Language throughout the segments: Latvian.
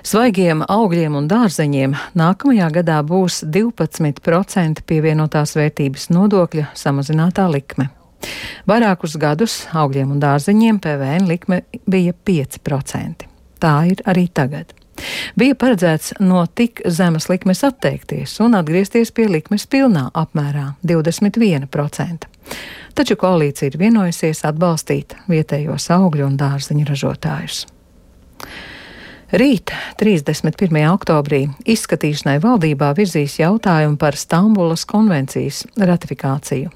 Svaigiem augļiem un dārzeņiem nākamajā gadā būs 12% pievienotās vērtības nodokļa samazinātā likme. Vairākus gadus augļiem un dārzeņiem PVN likme bija 5%. Tā ir arī tagad. Bija paredzēts no tik zemes likmes atteikties un atgriezties pie likmes pilnā apmērā 21%. Taču koalīcija ir vienojusies atbalstīt vietējos augļu un dārzeņu ražotājus. Rīt, 31. oktobrī, izskatīšanai valdībā virzīs jautājumu par Stambulas konvencijas ratifikāciju.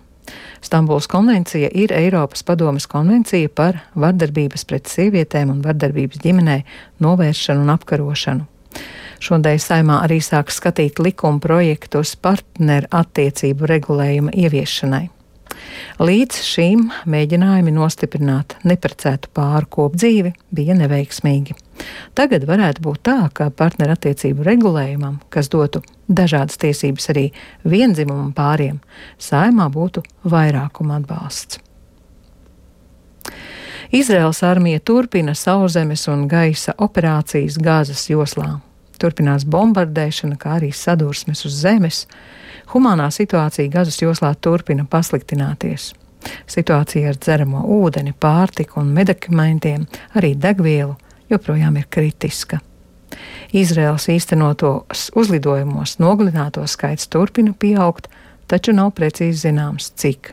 Stambulas konvencija ir Eiropas padomes konvencija par vardarbības pret sievietēm un vardarbības ģimenē novēršanu un apkarošanu. Šodien Saeimā arī sāk skatīt likuma projektus partneru attiecību regulējuma ieviešanai. Līdz šīm mēģinājumi nostiprināt neprecētu pāru kopdzīvi bija neveiksmīgi. Tagad varētu būt tā, ka partneru attiecību regulējumam, kas dotu dažādas tiesības arī viendzimumu pāriem, Saeimā būtu vairākuma atbalsts. Izraēlas armija turpina sauszemes un gaisa operācijas Gāzes joslā. Turpinās bombardēšana, kā arī sadursmes uz zemes. Humānā situācija Gazas joslā turpina pasliktināties. Situācija ar dzeramo ūdeni, pārtiku un medikamentiem, arī degvielu, joprojām ir kritiska. Izraēlas īstenotos uzlidojumos nogalināto skaits turpina pieaugt, taču nav precīzi zināms, cik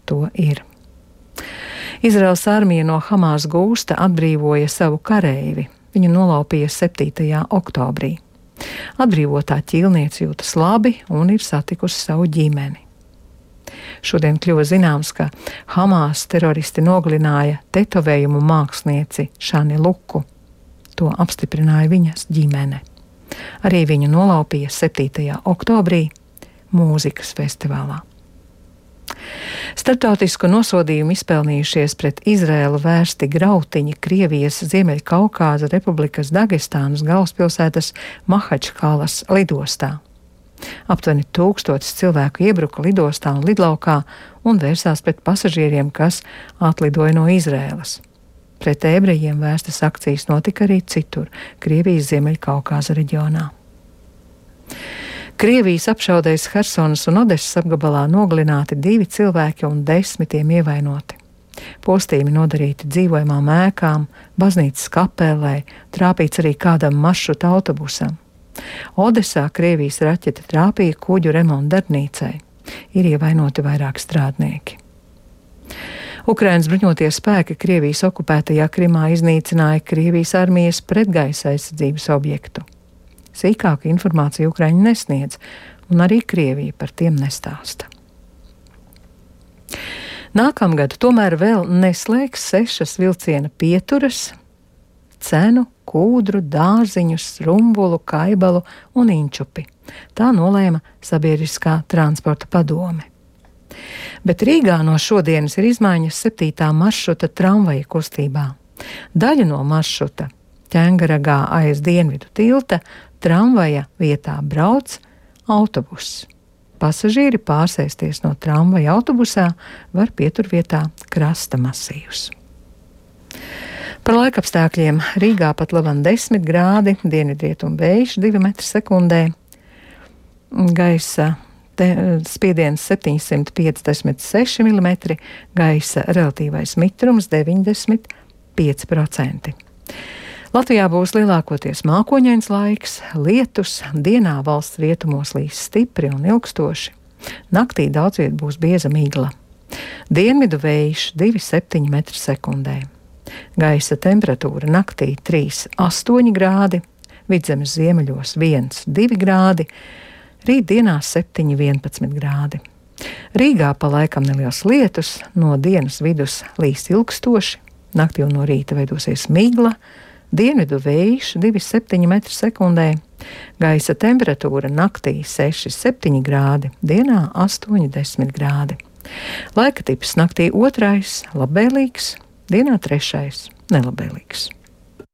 to ir. Izraēlas armija no Hamas gūsta atbrīvoja savu kareivi. Viņu nolaupīja 7. oktobrī. Atbrīvotā ķīlniece jūtas labi un ir satikusi savu ģimeni. Šodien kļuva zināms, ka Hamas teroristi nogalināja tetovējumu mākslinieci Šani Luku. To apstiprināja viņas ģimene. Arī viņu nolaupīja 7. oktobrī mūzikas festivālā. Starptautisku nosodījumu izpelnījušies pret Izraēlu vērsti grautiņi Krievijas Ziemeļkaukāza Republikas Dagestānas galvaspilsētas Mahačkalas lidostā. Aptuveni 1000 cilvēku iebruka lidostā un lidlaukā un vērsās pret pasažieriem, kas atlidoja no Izraēlas. Pret ebrejiem vērstas akcijas notika arī citur, Krievijas Ziemeļkaukāza reģionā. Krievijas apšaudēs Hersonas un Odesas apgabalā nogalināti 2 cilvēki un 10 ievainoti. Postījumi nodarīti dzīvojamām ēkām, baznīcas kapelē, trāpīts arī kādam maršruta autobusam. Odesā Krievijas raķete trāpīja kuģu remonta darbnīcai. Ir ievainoti vairāki strādnieki. Ukrainas bruņotie spēki Krievijas okupētajā Krimā iznīcināja Krievijas armijas pretgaisa aizsardzības objektu. Sīkāku informāciju Ukraiņi nesniedz, un arī Krievija par tiem nestāsta. Nākamgad tomēr vēl neslēgs 6 vilciena pieturas, cenu, kūdru, dārziņus, rumbulu, kaibalu un inčupi. Tā nolēma Sabiedriskā transporta padome. Bet Rīgā no šodienas ir izmaiņas 7. maršruta tramvaja kustībā. Daļa no maršruta Ķengaragā aiz dienvidu tilta tramvaja vietā brauc autobuss. Pasažieri pārsēsties no tramvaja autobusā var pieturvietā Krasta masīvs. Par laikapstākļiem Rīgā pat laban 10 grādi, dienvidrietumu vējš 2 m/sekundē, gaisa spiediens 756 mm, gaisa relatīvais mitrums 95%. Latvijā būs lielākoties mākoņains laiks, lietus, dienā valsts rietumos līs stipri un ilgstoši. Naktī daudz viet būs bieza migla. Dienvidu vējš 2,7 m/sekundē. Gaisa temperatūra naktī 3,8 grādi, Vidzemes ziemeļos 1,2 grādi, rīt dienā 7,11 grādi. Rīgā pa laikam neliels lietus, no dienas vidus līs ilgstoši, naktī un no rīta veidosies migla, dienvidu vējš 2,7 m/sekundē, gaisa temperatūra naktī 6,7 grādi, dienā 8,10 grādi. Laika tips naktī 2. labvēlīgs, dienā 3. nelabvēlīgs.